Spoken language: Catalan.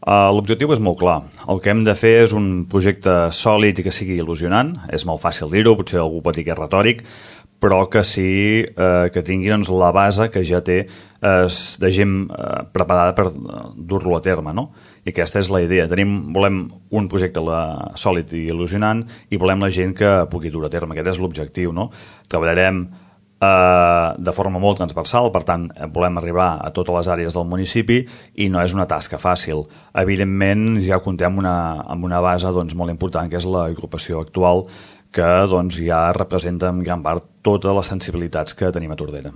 L'objectiu és molt clar. El que hem de fer és un projecte sòlid i que sigui il·lusionant. És molt fàcil dir-ho, potser algú pot dir que és retòric, però que sí que tingui doncs, la base que ja té de gent preparada per dur-lo a terme, no? I aquesta és la idea. Volem un projecte sòlid i il·lusionant i volem la gent que pugui dur a terme. Aquest és l'objectiu, no? Treballarem de forma molt transversal, per tant volem arribar a totes les àrees del municipi i no és una tasca fàcil. Evidentment ja comptem amb una base doncs, molt important, que és l'agrupació actual, que doncs, ja representa en gran part totes les sensibilitats que tenim a Tordera.